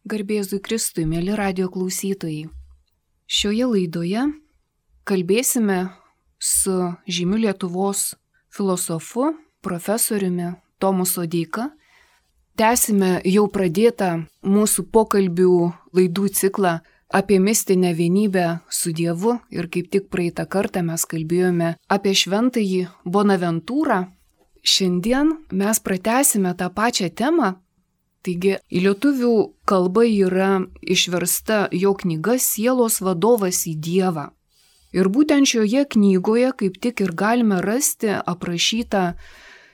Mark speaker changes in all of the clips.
Speaker 1: Garbėzui Kristui, mėly radio klausytojai. Šioje laidoje kalbėsime su žymiu Lietuvos filosofu, profesoriumi Tomu Sodeika. Tęsime jau pradėtą mūsų pokalbių laidų ciklą apie mistinę vienybę su Dievu ir kaip tik praeitą kartą mes kalbėjome apie šventąjį Bonaventūrą. Šiandien mes pratęsime tą pačią temą. Taigi, į lietuvių kalbą yra išversta jo knyga Sielos vadovas į Dievą. Ir būtent šioje knygoje kaip tik ir galime rasti aprašytą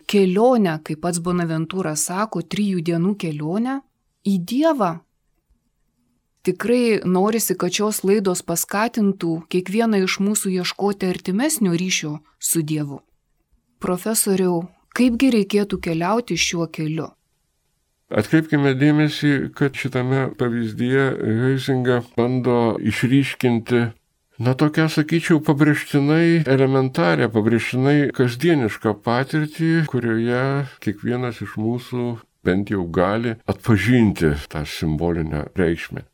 Speaker 1: kelionę, kaip pats Bonaventūra sako, 3 dienų kelionę į Dievą. Tikrai norisi, kad šios laidos paskatintų kiekvieną iš mūsų ieškoti artimesnio ryšio su Dievu. Profesoriau, kaipgi reikėtų keliauti šiuo keliu?
Speaker 2: Atkreipkime dėmesį, kad šitame pavyzdyje Huizinga bando išryškinti, tokią, sakyčiau, pabrėžtinai elementarią, pabrėžtinai kasdienišką patirtį, kurioje kiekvienas iš mūsų bent jau gali atpažinti tą simbolinę reikšmę.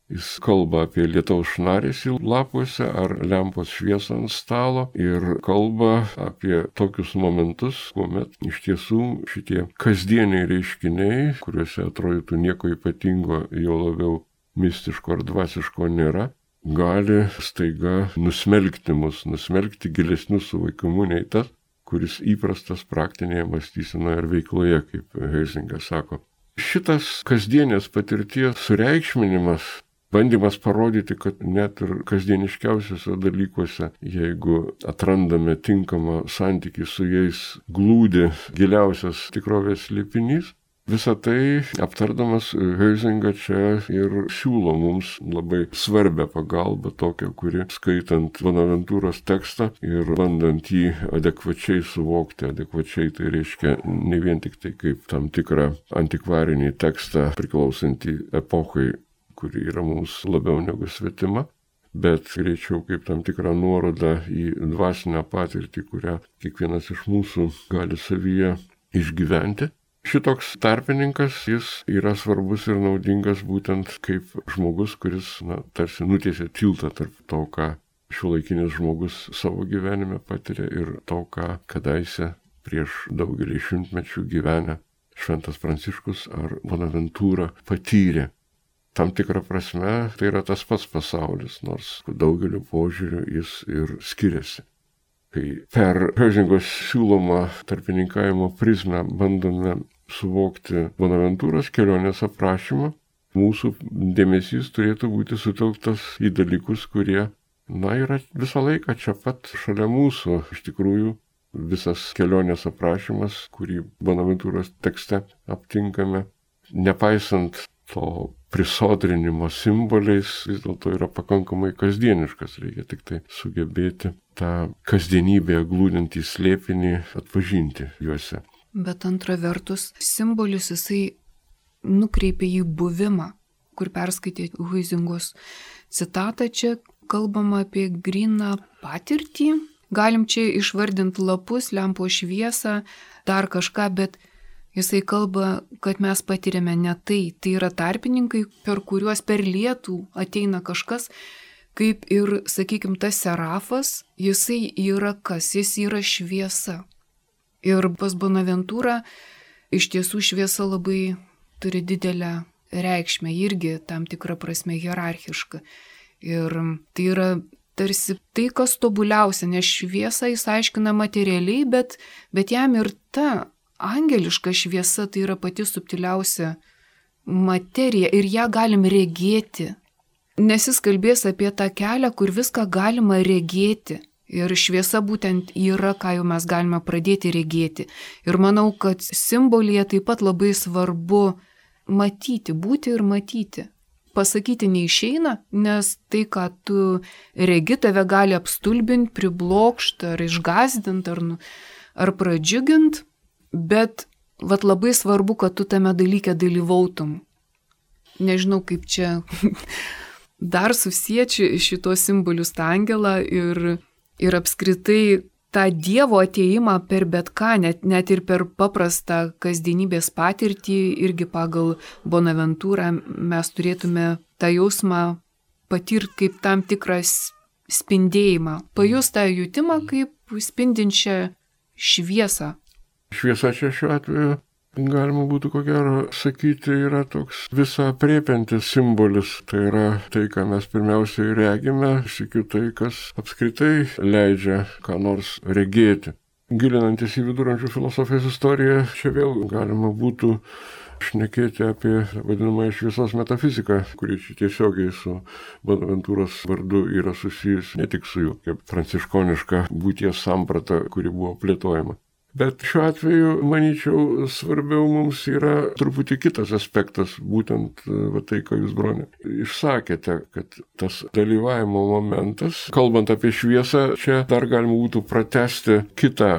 Speaker 2: Jis kalba apie lietaus šnaresį lapuose ar lempos šviesą ant stalo ir kalba apie tokius momentus, kuomet iš tiesų šitie kasdieniai reiškiniai, kuriuose atrodytų nieko ypatingo, jo labiau mistiško ar dvasiško nėra, gali staiga nusmelkti mus, nusmelkti gilesnių suvokimų nei tas, kuris įprastas praktinėje mąstysenoje ar veikloje, kaip Huizingas sako. Šitas kasdienės patirties sureikšminimas, bandymas parodyti, kad net ir kasdieniškiausiuose dalykuose, jeigu atrandame tinkamą santykį su jais, glūdi giliausias tikrovės slėpinys, visą tai aptardamas Huizinga čia ir siūlo mums labai svarbią pagalbą, tokią, kuri skaitant Bonaventūros tekstą ir bandant jį adekvačiai suvokti, adekvačiai tai reiškia ne vien tik tai kaip tam tikrą antikvarinį tekstą priklausantį epochai, kuri yra mums labiau negu svetima, bet greičiau kaip tam tikrą nuorodą į dvasinę patirtį, kurią kiekvienas iš mūsų gali savyje išgyventi. Šitoks tarpininkas, jis yra svarbus ir naudingas būtent kaip žmogus, kuris tarsi nutiesia tiltą tarp to, ką šiuolaikinis žmogus savo gyvenime patiria ir to, ką kadaise prieš daugelį šimtmečių gyvenę Šventas Pranciškus ar Bonaventūra patyrė. Tam tikrą prasme tai yra tas pats pasaulis, nors daugeliu požiūrių jis ir skiriasi. Kai per Huizingos siūlomą tarpininkavimo prizmę bandome suvokti Bonaventūros kelionės aprašymą, mūsų dėmesys turėtų būti sutelktas į dalykus, kurie, yra visą laiką čia pat šalia mūsų. Iš tikrųjų, visas kelionės aprašymas, kurį Bonaventūros tekste aptinkame, nepaisant to prisodrinimo simboliais, vis dėlto yra pakankamai kasdieniškas, reikia tik tai sugebėti tą kasdienybėje glūdintį slėpinį atpažinti juose.
Speaker 1: Bet antra vertus, simbolis jisai nukreipia į buvimą, kur perskaitė Huizingos citatą, čia kalbama apie gryną patirtį, galim čia išvardinti lapus, lempos šviesą, dar kažką, bet jisai kalba, kad mes patiriame ne tai. Tai yra tarpininkai, per kuriuos per lietų ateina kažkas, kaip ir, sakykime, tas serafas, jisai yra kas? Jis yra šviesa. Ir pas Bonaventūrą iš tiesų šviesa labai turi didelę reikšmę, irgi tam tikrą prasme hierarchišką. Ir tai yra tarsi tai, kas tobuliausia, nes šviesą jis aiškina materialiai, bet jam ir ta angeliška šviesa tai yra pati subtiliausia materija ir ją galim regėti. Nes jis kalbės apie tą kelią, kur viską galima regėti. Ir šviesa būtent yra, ką jau mes galime pradėti regėti. Ir manau, kad simbolyje taip pat labai svarbu matyti, būti ir matyti. Pasakyti neišeina, nes tai, ką tu regi, tave gali apstulbinti, priblokšti ar išgąsdinti ar pradžiugint. Bet labai svarbu, kad tu tame dalyke dalyvautum. Nežinau, kaip čia dar susiečiu šitos simbolius tą angelą ir apskritai tą Dievo ateimą per bet ką, net ir per paprastą kasdienybės patirtį, irgi pagal Bonaventūrą mes turėtume tą jausmą patirti kaip tam tikras spindėjimą, pajust tą jutimą kaip spindinčią šviesą.
Speaker 2: Šviesa čia šiuo atveju, galima būtų ko gero sakyti, yra toks visą apriepiantis simbolis. Tai yra tai, ką mes pirmiausiai regime, sykiu tai, kas apskritai leidžia ką nors regėti. Gilinantis į viduramžių filosofijos istoriją, čia vėl galima būtų šnekėti apie vadinamąją šviesos metafiziką, kuri čia tiesiogiai su Bonaventūros vardu yra susijus ne tik su jų, kaip pranciškoniška būties samprata, kuri buvo plėtojama. Bet šiuo atveju, manyčiau, svarbiau mums yra truputį kitas aspektas, būtent tai, ką jūs, broni, išsakėte, kad tas dalyvavimo momentas, kalbant apie šviesą, čia dar galima būtų pratęsti kitą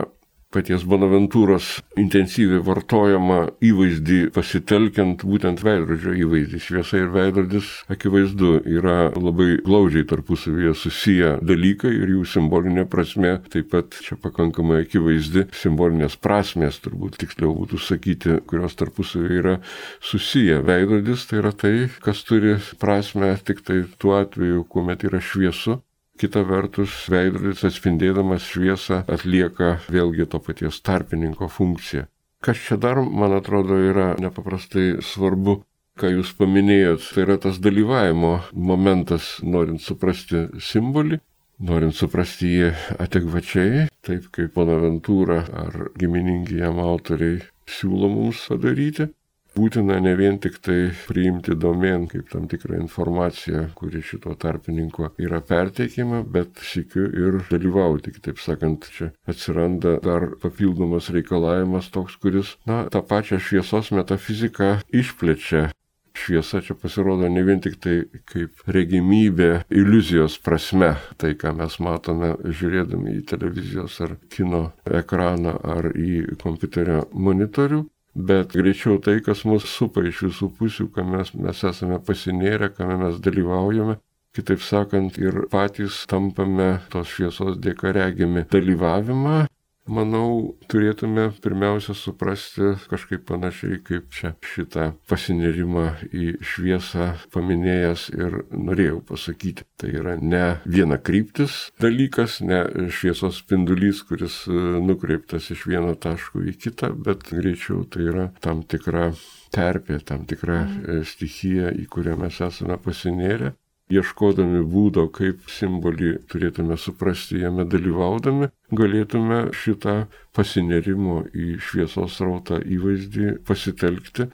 Speaker 2: paties Bonaventūros intensyviai vartojamą įvaizdį pasitelkiant būtent veidrodžio įvaizdį. Šviesa ir veidrodis, akivaizdu, yra labai glaudžiai tarpusavyje susiję dalykai ir jų simbolinė prasmė taip pat čia pakankamai akivaizdi. Simbolinės prasmės, turbūt tiksliau būtų sakyti, kurios tarpusavyje yra susiję. Veidrodis tai yra tai, kas turi prasmę tik tai tuo atveju, kuomet yra šviesu. Kita vertus, veidrodis atspindėdamas šviesą atlieka vėlgi to paties tarpininko funkciją. Kas čia dar, man atrodo, yra nepaprastai svarbu, ką jūs paminėjot, tai yra tas dalyvavimo momentas, norint suprasti simbolį, norint suprasti jį adekvačiai, taip kaip Bonaventūra ar giminingi jam autoriai siūlo mums padaryti. Būtina ne vien tik tai priimti domėn kaip tam tikrą informaciją, kuri šito tarpininko yra perteikima, bet sykiu ir dalyvauti. Kitaip sakant, čia atsiranda dar papildomas reikalavimas toks, kuris, tą pačią šviesos metafiziką išplečia. Šviesa čia pasirodo ne vien tik tai kaip regimybė iliuzijos prasme, tai ką mes matome žiūrėdami į televizijos ar kino ekraną ar į kompiuterio monitorių, bet greičiau tai, kas mus supa iš visų pusių, ką mes esame pasinėrę, ką mes dalyvaujame. Kitaip sakant, ir patys tampame tos šviesos dėka regimi dalyvavimą. Manau, turėtume pirmiausia suprasti kažkaip panašiai, kaip čia šitą pasinėrimą į šviesą paminėjęs ir norėjau pasakyti. Tai yra ne vienakryptis dalykas, ne šviesos spindulys, kuris nukreiptas iš vieno taško į kitą, bet greičiau tai yra tam tikra terpė, tam tikra stichija, į kurią mes esame pasinėrę. Ieškodami būdo, kaip simbolį turėtume suprasti jame dalyvaudami, galėtume šitą pasinėrimo į šviesos srautą įvaizdį pasitelkti.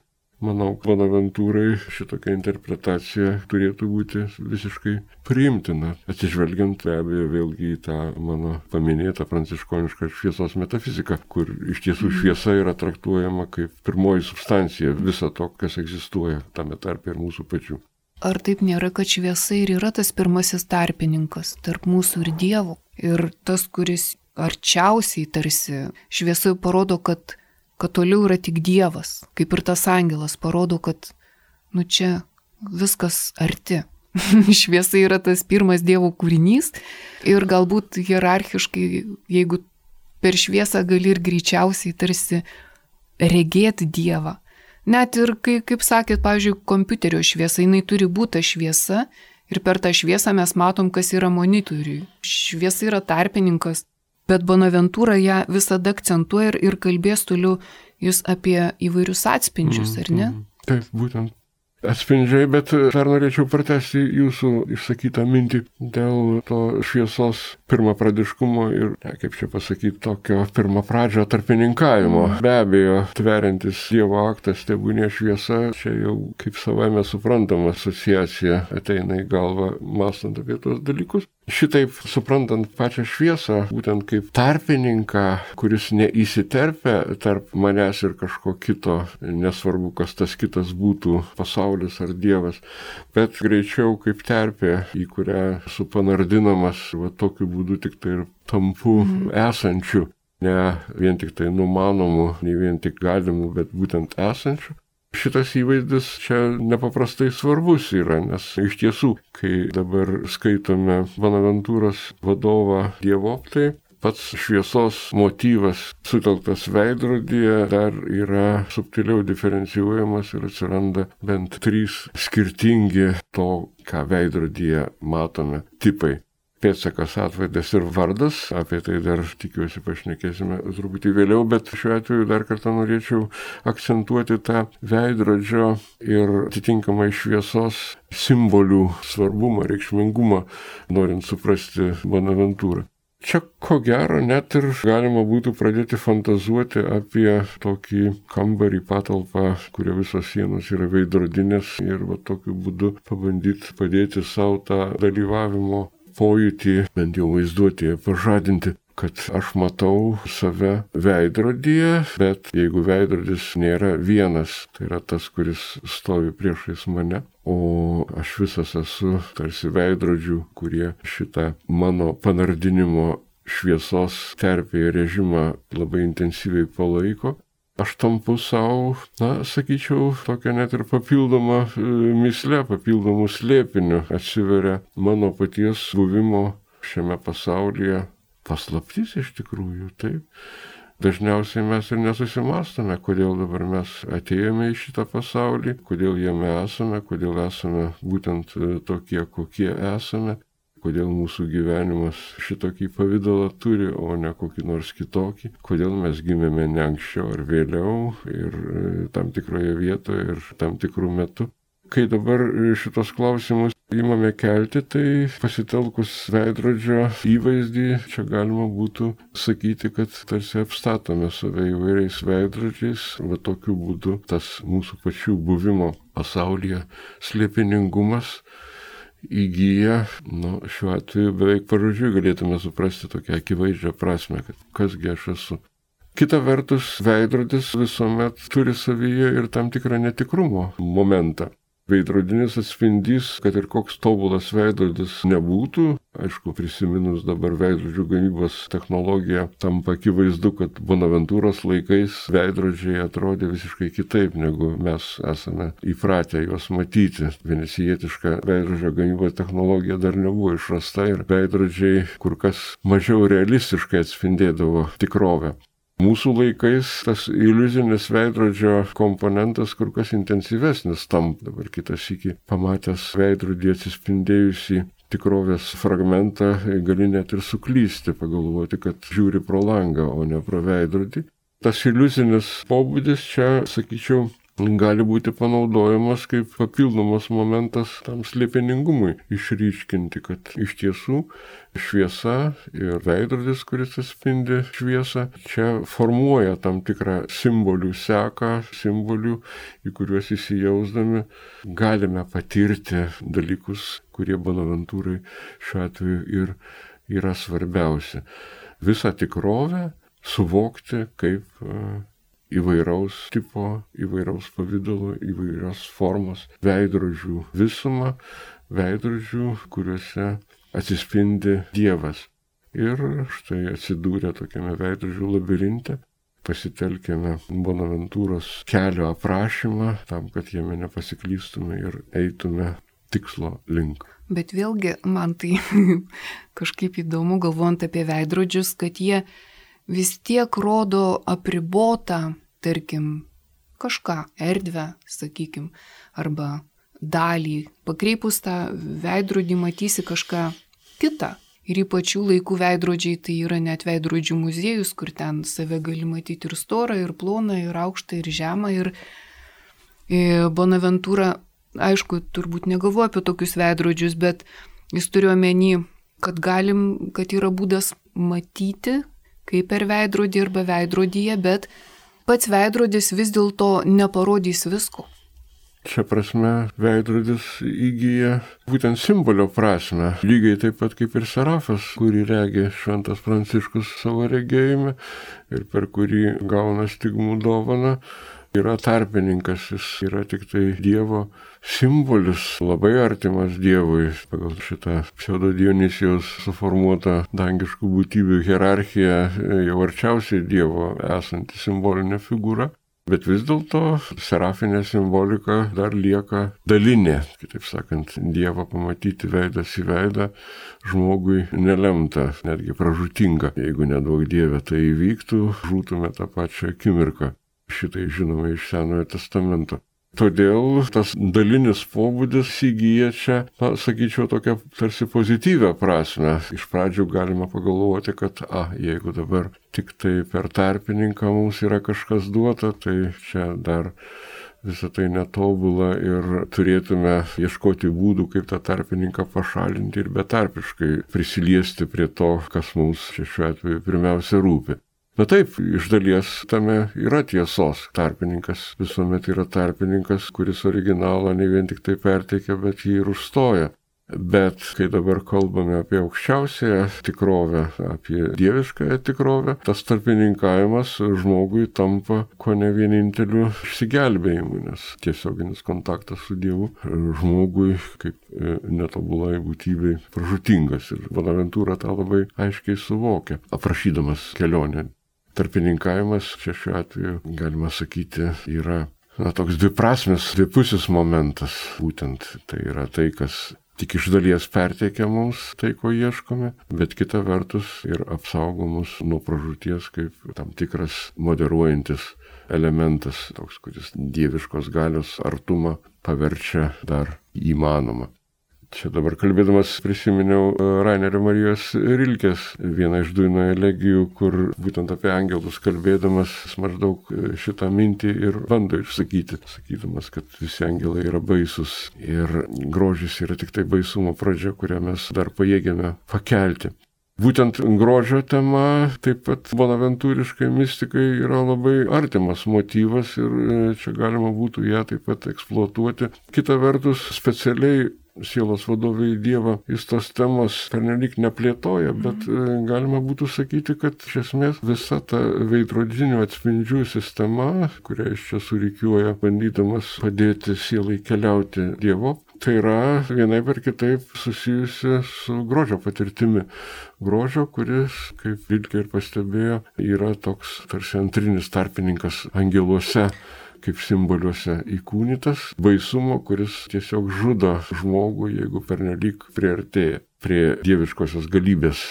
Speaker 2: Manau, Bonaventūrai šitokia interpretacija turėtų būti visiškai priimtina, atsižvelgiant be abejo vėlgi į tą mano paminėtą pranciškonišką šviesos metafiziką, kur iš tiesų šviesa yra traktuojama kaip pirmoji substancija viso to, kas egzistuoja, tame tarpe ir mūsų pačių.
Speaker 1: Ar taip nėra, kad šviesa ir yra tas pirmasis tarpininkas tarp mūsų ir Dievo? Ir tas, kuris arčiausiai tarsi šviesa parodo, kad toliau yra tik Dievas, kaip ir tas angelas parodo, kad čia viskas arti. Šviesa yra tas pirmas Dievo kūrinys ir galbūt hierarchiškai, jeigu per šviesą gali ir greičiausiai tarsi regėti Dievą. Net ir, kaip sakėt, pavyzdžiui, kompiuterio šviesa, jinai turi būti šviesa ir per tą šviesą mes matom, kas yra monitoriui. Šviesa yra tarpininkas, bet Bonaventūra ją visada akcentuoja ir kalbės toliau jūs apie įvairius atspindžius, ar ne?
Speaker 2: Taip, būtent. Atspindžiai, bet dar norėčiau pratęsti jūsų išsakytą mintį dėl to šviesos pirmapradiškumo ir, kaip čia pasakyti, tokio pirmapradžio tarpininkavimo. Be abejo, tveriantis Dievo aktas, tebūnie šviesa, čia jau kaip savaime suprantama asociacija ateina į galvą, mąstant apie tos dalykus. Šitaip suprantant pačią šviesą, būtent kaip tarpininką, kuris neįsiterpia tarp manęs ir kažko kito, nesvarbu, kas tas kitas būtų, pasaulis ar Dievas, bet greičiau kaip terpė, į kurią supanardinamas, tokiu būdu tik tai ir tampu esančiu, ne vien tik tai numanomu, ne vien tik galimu, bet būtent esančiu. Šitas įvaizdis čia nepaprastai svarbus yra, nes iš tiesų, kai dabar skaitome Bonaventūros vadovą Dievoptai, pats šviesos motyvas sutelktas veidrodyje dar yra subtiliau diferencijuojamas ir atsiranda bent 3 skirtingi to, ką veidrodyje matome, tipai. Pėdsakas, atvaizdas ir vardas, apie tai dar tikiuosi pašnekėsime truputį vėliau, bet šiuo atveju dar kartą norėčiau akcentuoti tą veidrodžio ir atitinkamai šviesos simbolių svarbumą, reikšmingumą, norint suprasti Bonaventūrą. Čia ko gero net ir galima būtų pradėti fantazuoti apie tokį kambarį, patalpą, kurio visos sienos yra veidrodinės ir tokiu būdu pabandyti padėti savo tą dalyvavimo pojūtį, bent jau vaizduotėje pažadinti, kad aš matau save veidrodyje, bet jeigu veidrodis nėra vienas, tai yra tas, kuris stovi priešais mane, o aš visas esu tarsi veidrodžių, kurie šitą mano panardinimo šviesos terpėje režimą labai intensyviai palaiko. Aš tampu savo, sakyčiau, tokia net ir papildoma mįslė, papildomų slėpinių atsiveria mano paties buvimo šiame pasaulyje paslaptis iš tikrųjų, taip. Dažniausiai mes ir nesusimastome, kodėl dabar mes atėjome į šitą pasaulį, kodėl jame esame, kodėl esame būtent tokie, kokie esame. Kodėl mūsų gyvenimas šitokį pavidalą turi, o ne kokį nors kitokį, kodėl mes gimėme ne anksčiau ar vėliau ir tam tikroje vietoje ir tam tikrų metų. Kai dabar šitos klausimus imame kelti, tai pasitelkus veidrodžio įvaizdį, čia galima būtų sakyti, kad tarsi apstatome save įvairiais veidrodžiais, va tokiu būdu tas mūsų pačių buvimo pasaulyje slėpiningumas įgyja, šiuo atveju beveik pažodžiui galėtume suprasti tokią akivaizdžią prasme, kad kasgi aš esu. Kita vertus, veidrodis visuomet turi savyje ir tam tikrą netikrumo momentą. Veidrodinis atspindys, kad ir koks tobulas veidrodis nebūtų, aišku, prisiminus dabar veidrodžių gamybos technologiją, tampa akivaizdu, kad Bonaventūros laikais veidrodžiai atrodė visiškai kitaip, negu mes esame įpratę juos matyti. Venecijietiška veidrodžio gamybos technologija dar nebuvo išrasta ir veidrodžiai kur kas mažiau realistiškai atspindėdavo tikrovę. Mūsų laikais tas iliuzinis veidrodžio komponentas kur kas intensyvesnis tampa. Dabar kitas sykį pamatęs veidrodį atsispindėjusi tikrovės fragmentą, gali net ir suklysti, pagalvoti, kad žiūri pro langą, o ne pro veidrodį. Tas iliuzinis pobūdis čia, sakyčiau, gali būti panaudojamas kaip papildomas momentas tam slėpiningumui išryškinti, kad iš tiesų šviesa ir veidrodis, kuris atspindi šviesą, čia formuoja tam tikrą simbolių seką, simbolių, į kuriuos įsijausdami galime patirti dalykus, kurie Bonaventūrai šiuo atveju ir yra svarbiausi. Visą tikrovę suvokti kaip įvairaus tipo, įvairaus pavidalo, įvairios formos veidrodžių visumą, veidrodžių, kuriuose atsispindi Dievas. Ir štai atsidūrę tokiame veidrodžių labirinte, pasitelkėme Bonaventūros kelio aprašymą tam, kad jame nepasiklystume ir eitume tikslo link.
Speaker 1: Bet vėlgi man tai kažkaip įdomu, galvojant apie veidrodžius, kad jie vis tiek rodo apribotą, tarkim, kažką, erdvę, sakykim, arba dalį. Pakreipus tą veidrodį matysi kažką kitą. Ir ypač jų laikų veidrodžiai tai yra net veidrodžių muziejus, kur ten save gali matyti ir storą, ir ploną, ir aukštą, ir žemą. Ir Bonaventūra, aišku, turbūt negalvoja apie tokius veidrodžius, bet jis turi omeny, kad yra būdas matyti, kaip per veidrodį arba veidrodyje, bet pats veidrodis vis dėlto neparodys visko.
Speaker 2: Šia prasme veidrodis įgyja būtent simbolio prasme, lygiai taip pat kaip ir serafas, kurį regi Šventas Pranciškus savo regėjime ir per kurį gauna stigmų dovaną. Yra tarpininkas, jis yra tik tai Dievo simbolis, labai artimas Dievui, pagal šitą pseudo Dionisijaus suformuotą dangiškų būtybių hierarchiją, jau arčiausiai Dievo esanti simbolinė figūra. Bet vis dėlto serafinė simbolika dar lieka dalinė. Kitaip sakant, Dievą pamatyti veidas į veidą žmogui nelemta, netgi pražūtinga. Jeigu nedaug Dieve tai įvyktų, žūtume tą pačią akimirką. Šitai žinome iš Senojo testamento. Todėl tas dalinis pobūdis įgyja čia, sakyčiau, tokią tarsi pozityvę prasme. Iš pradžių galima pagalvoti, kad, jeigu dabar tik tai per tarpininką mums yra kažkas duota, tai čia dar visą tai netobula ir turėtume ieškoti būdų, kaip tą tarpininką pašalinti ir betarpiškai prisiliesti prie to, kas mums šiuo atveju pirmiausia rūpi. Na taip, iš dalies tame yra tiesos. Tarpininkas visuomet yra tarpininkas, kuris originalą ne vien tik tai perteikia, bet jį ir užstoja. Bet kai dabar kalbame apie aukščiausiąją tikrovę, apie dieviškąją tikrovę, tas tarpininkavimas žmogui tampa kone vieninteliu išsigelbėjimu, nes tiesioginis kontaktas su Dievu žmogui kaip netobulai būtybei pražūtingas. Ir Bonaventūra tą labai aiškiai suvokia, aprašydamas kelionę. Tarpininkavimas čia šiuo atveju, galima sakyti, yra toks dviprasmis, dvipusis momentas. Būtent tai yra tai, kas tik iš dalies perteikia mums tai, ko ieškome, bet kita vertus ir apsaugo mus nuo pražūties kaip tam tikras moderuojantis elementas, toks, kuris dieviškos galios artumą paverčia dar įmanoma. Čia dabar kalbėdamas prisiminiau Rainerio Marijos Rilkės vieną iš Duino elegijų, kur būtent apie angelus kalbėdamas maždaug šitą mintį ir bando išsakyti, sakydamas, kad visi angelai yra baisus ir grožis yra tik tai baisumo pradžia, kurią mes dar pajėgiame pakelti. Būtent grožio tema, taip pat bonaventūriškai mistikai yra labai artimas motyvas ir čia galima būtų ją taip pat eksploatuoti. Kita vertus, specialiai sielos vadovai Dievą jis tos temos pernelyg neplėtoja, bet galima būtų sakyti, kad iš esmės visa ta veidrodinių atspindžių sistema, kurią iš čia surikiuoja, bandydamas padėti sielai keliauti Dievo, tai yra vienaip ar kitaip susijusi su grožio patirtimi. Grožio, kuris, kaip Rilkė ir pastebėjo, yra toks tarsi antrinis tarpininkas angeluose, kaip simboliuose įkūnytas, baisumo, kuris tiesiog žudo žmogų, jeigu pernelyg priartėja prie dieviškosios galybės.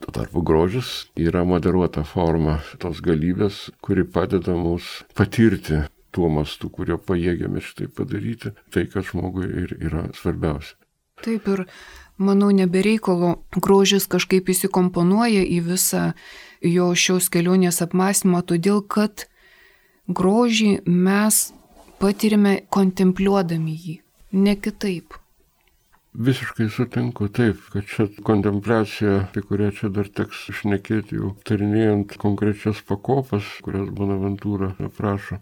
Speaker 2: Tuo tarpu grožis yra moderuota forma tos galybės, kuri padeda mums patirti tuo mastu, kurio pajėgiame šitai padaryti, tai, kad žmogui ir yra svarbiausia.
Speaker 1: Taip ir, manau, nebereikalo grožis kažkaip įsikomponuoja į visą jo šios kelionės apmąstymą, todėl kad grožį mes patirime kontempliuodami jį, ne kitaip.
Speaker 2: Visiškai sutinku, taip, kad čia kontempliacija, apie kurią čia dar teks šnekėti jau tarinėjant konkrečias pakopas, kurias Bonaventūra aprašo.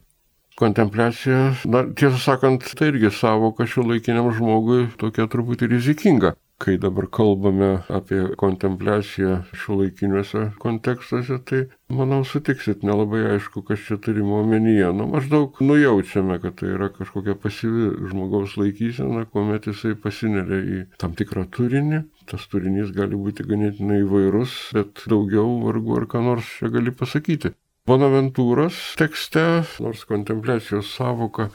Speaker 2: Kontempliacija, tiesą sakant, tai irgi savoka šiuolaikiniam žmogui tokia truputį rizikinga. Kai dabar kalbame apie kontempliaciją šiuolaikiniuose kontekstuose, tai, manau, sutiksit, nelabai aišku, kas čia turima omenyje. Maždaug nujaučiame, kad tai yra kažkokia pasyvi žmogaus laikysena, kuomet jisai pasineria į tam tikrą turinį. Tas turinys gali būti ganėtinai įvairus, bet daugiau vargu ar ką nors čia gali pasakyti. Bonaventūros tekste, nors kontempliacijos savoka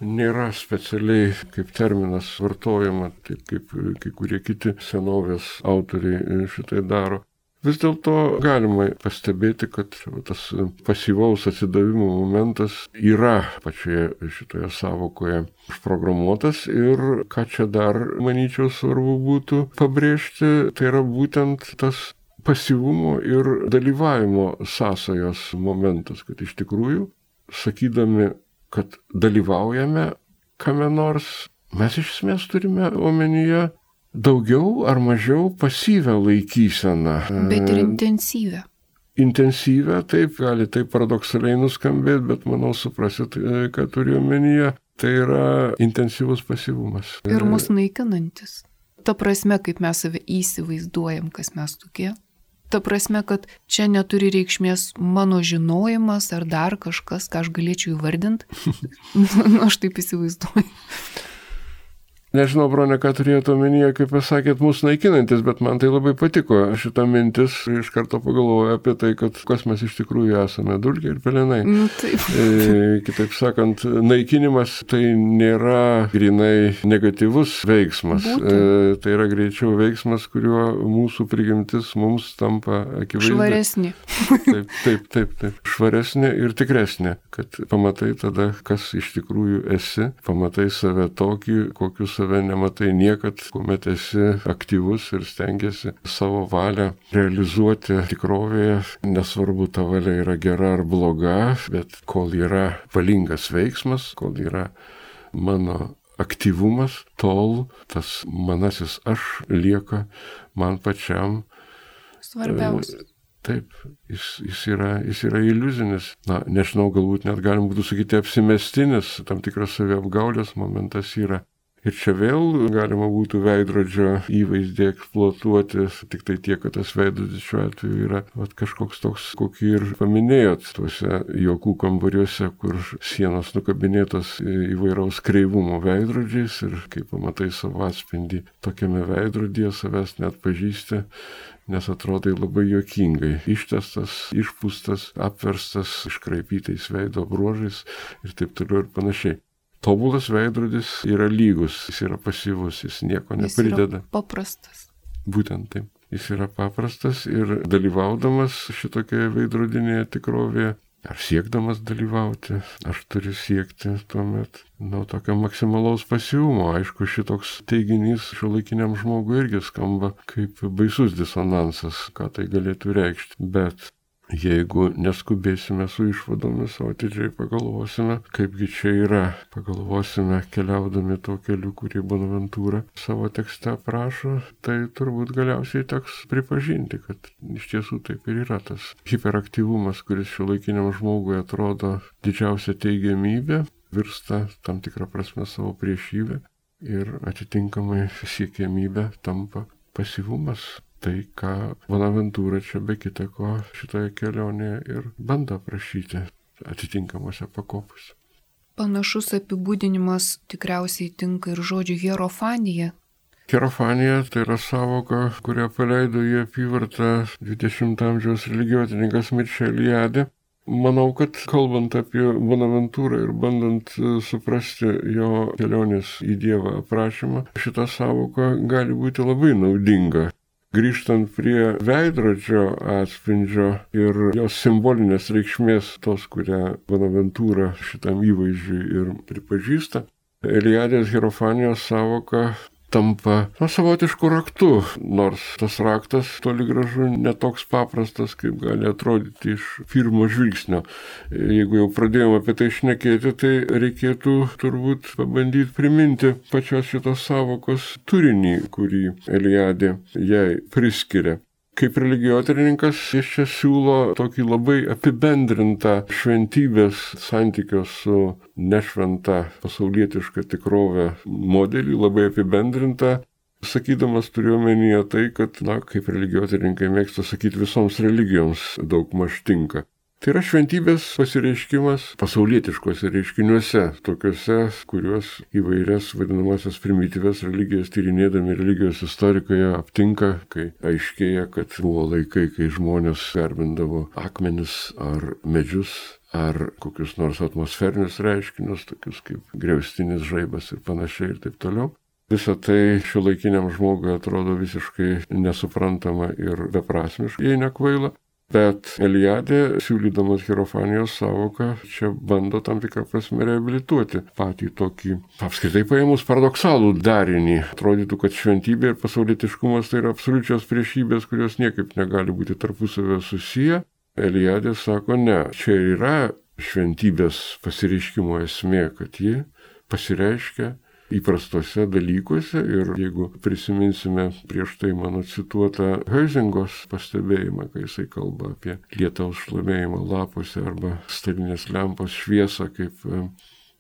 Speaker 2: nėra specialiai kaip terminas vartojama, taip kaip kai kurie kiti senovės autoriai šitai daro. Vis dėlto galima pastebėti, kad tas pasyvaus atsidavimo momentas yra pačioje šitoje savokoje užprogramuotas ir ką čia dar, manyčiau, svarbu būtų pabrėžti, tai yra būtent tas pasyvumo ir dalyvavimo sąsajos momentas, kad iš tikrųjų, sakydami, kad dalyvaujame kame nors, mes iš esmės turime omenyje daugiau ar mažiau pasyvę laikyseną.
Speaker 1: Bet ir intensyvę.
Speaker 2: Intensyvę, taip, gali taip paradoksaliai nuskambėti, bet manau suprasit, ką turiu omenyje, tai yra intensyvus pasyvumas.
Speaker 1: Ir mus naikinantis. Ta prasme, kaip mes save įsivaizduojam, kas mes tokie. Ta prasme, kad čia neturi reikšmės mano žinojimas ar dar kažkas, ką aš galėčiau įvardinti. Aš taip įsivaizduoju.
Speaker 2: Nežinau, Bronė, ką turėjote omenyje, kaip pasakėt, mūsų naikinantis, bet man tai labai patiko šita mintis. Iš karto pagalvoju apie tai, kad kas mes iš tikrųjų esame, dulkė ir pelenai. Kitaip sakant, naikinimas tai nėra grinai negatyvus veiksmas. Tai yra greičiau veiksmas, kuriuo mūsų prigimtis mums tampa akivaizdi.
Speaker 1: Švaresnė.
Speaker 2: Taip. Švaresnė ir tikresnė, kad pamatai tada, kas iš tikrųjų esi, pamatai save tokį, kokiu save nematai niekad, kuomet esi aktyvus ir stengiasi savo valią realizuoti tikrovėje. Nesvarbu, ta valia yra gera ar bloga, bet kol yra valingas veiksmas, kol yra mano aktyvumas, tol tas manasis aš lieka man pačiam
Speaker 1: svarbiausia.
Speaker 2: Taip, jis yra iliuzinis. Na, nežinau, galbūt net galim būtų sakyti apsimestinis, tam tikras saviapgaulės momentas yra. Ir čia vėl galima būtų veidrodžio įvaizdį eksploatuoti, tik tai tiek, kad tas veidrodis šiuo atveju yra kažkoks toks, kokį ir paminėjot, tuose juokų kambariuose, kur sienos nukabinėtos įvairaus kreivumo veidrodžiais ir kai pamatai savo atspindį tokiame veidrodyje, savęs net pažįsti, nes atrodai labai juokingai, ištestas, išpūstas, apverstas, iškraipytais veido bruožais ir taip toliau ir panašiai. Tobulas veidrodis yra lygus, jis yra pasyvus, jis nieko neprideda.
Speaker 1: Jis yra paprastas.
Speaker 2: Būtent taip. Jis yra paprastas ir dalyvaudamas šitokioje veidrodinėje tikrovėje, ar siekdamas dalyvauti, aš turiu siekti tuomet tokio maksimalaus pasyvumo. Aišku, šitoks teiginys šiuolaikiniam žmogui irgi skamba kaip baisus disonansas, ką tai galėtų reikšti. Bet jeigu neskubėsime su išvadomis, o atidžiai pagalvosime, kaipgi čia yra, pagalvosime keliaudami tuo keliu, kurį Bonaventūra savo tekste aprašo, tai turbūt galiausiai teks pripažinti, kad iš tiesų taip ir yra tas hiperaktyvumas, kuris šiuolaikiniam žmogui atrodo didžiausia teigiamybė, virsta tam tikrą prasme savo priešybę ir atitinkamai siekiamybė tampa pasyvumas. Tai, ką Bonaventūra čia be kita ko šitoje kelionėje ir bando aprašyti atitinkamose pakopose.
Speaker 1: Panašus apibūdinimas tikriausiai tinka ir žodžiu hierofanija.
Speaker 2: Hierofanija tai yra savoka, kurią paleido į apyvartą 20 amžiaus religijotininkas Mircea Eliade. Manau, kad kalbant apie Bonaventūrą ir bandant suprasti jo kelionės į Dievą aprašymą, šita savoka gali būti labai naudinga. Grįžtant prie veidrodžio atspindžio ir jos simbolinės reikšmės, tos, kurią Bonaventūra šitam įvaizdžiui ir pripažįsta, Eliadės hierofanijos savoka tampa savotišku raktu, nors tas raktas toli gražu netoks paprastas, kaip gali atrodyti iš pirmo žvilgsnio. Jeigu jau pradėjome apie tai šnekėti, tai reikėtų turbūt pabandyti priminti pačios šitos savokos turinį, kurį Eliadė jai priskiria. Kaip religijotyrininkas jis čia siūlo tokį labai apibendrintą šventybės santykio su nešventa pasaulietiška tikrove modelį, labai apibendrintą, sakydamas turiu omenyje tai, kad, kaip religijotyrininkai mėgsta sakyti, visoms religijoms daugmaž tinka. Tai yra šventybės pasireiškimas pasaulietiškose reiškiniuose, tokiuose, kuriuos įvairias vadinamasias primityvias religijas tyrinėdami religijos istorikai aptinka, kai aiškėja, kad buvo laikai, kai žmonės garbindavo akmenis ar medžius, ar kokius nors atmosferinius reiškinius, tokius kaip griaustinis žaibas ir panašiai ir taip toliau. Visą tai šiuolaikiniam žmogui atrodo visiškai nesuprantama ir beprasmiška, jei nekvaila. Bet Eliadė, siūlydamas hierofanijos savoką, čia bando tam tikrą prasme reabilituoti patį tokį, apskritai paėmus paradoksalų darinį. Atrodytų, kad šventybė ir pasaulietiškumas tai yra absoliučios priešybės, kurios niekaip negali būti tarpusavio susiję. Eliadė sako, ne, čia yra šventybės pasireiškimo esmė, kad ji pasireiškia įprastose dalykuose ir jeigu prisiminsime prieš tai mano cituotą Huizingos pastebėjimą, kai jisai kalba apie lietaus šlamėjimą lapuose arba stalinės lempos šviesą kaip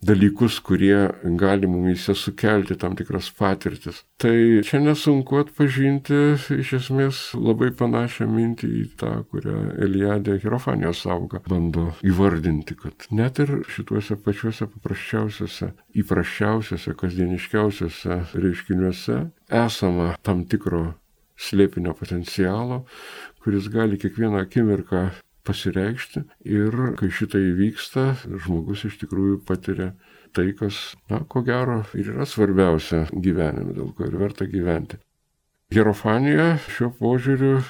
Speaker 2: dalykus, kurie gali mumyse sukelti tam tikras patirtis. Tai čia nesunku atpažinti iš esmės labai panašią mintį į tą, kurią Eliade Hierofanijos sąvoka bando įvardinti, kad net ir šituose pačiuose paprasčiausiuose, įprasčiausiuose, kasdieniškiausiuose reiškiniuose esama tam tikro slėpinio potencialo, kuris gali kiekvieną akimirką pasireikšti ir kai šitai įvyksta, žmogus iš tikrųjų patiria tai, kas, ko gero, ir yra svarbiausia gyvenime, dėl ko ir verta gyventi. Hierofanija šiuo požiūriu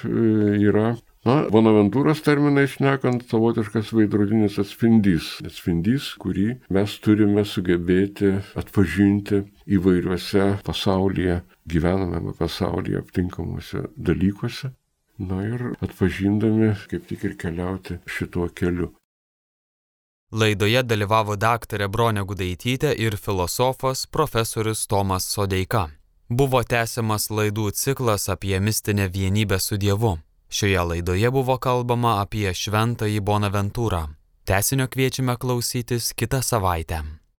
Speaker 2: yra, Bonaventūros terminais šnekant, savotiškas veidrodinis atspindys, kurį mes turime sugebėti atpažinti įvairiuose pasaulyje, gyvenamame pasaulyje aptinkamuose dalykuose. Ir atpažindami, kaip tik ir keliauti šituo keliu.
Speaker 3: Laidoje dalyvavo daktarė Bronė Gudaitytė ir filosofas profesorius Tomas Sodeika. Buvo tęsiamas laidų ciklas apie mistinę vienybę su Dievu. Šioje laidoje buvo kalbama apie šventąjį Bonaventūrą. Tęsinio kviečiame klausytis kitą savaitę.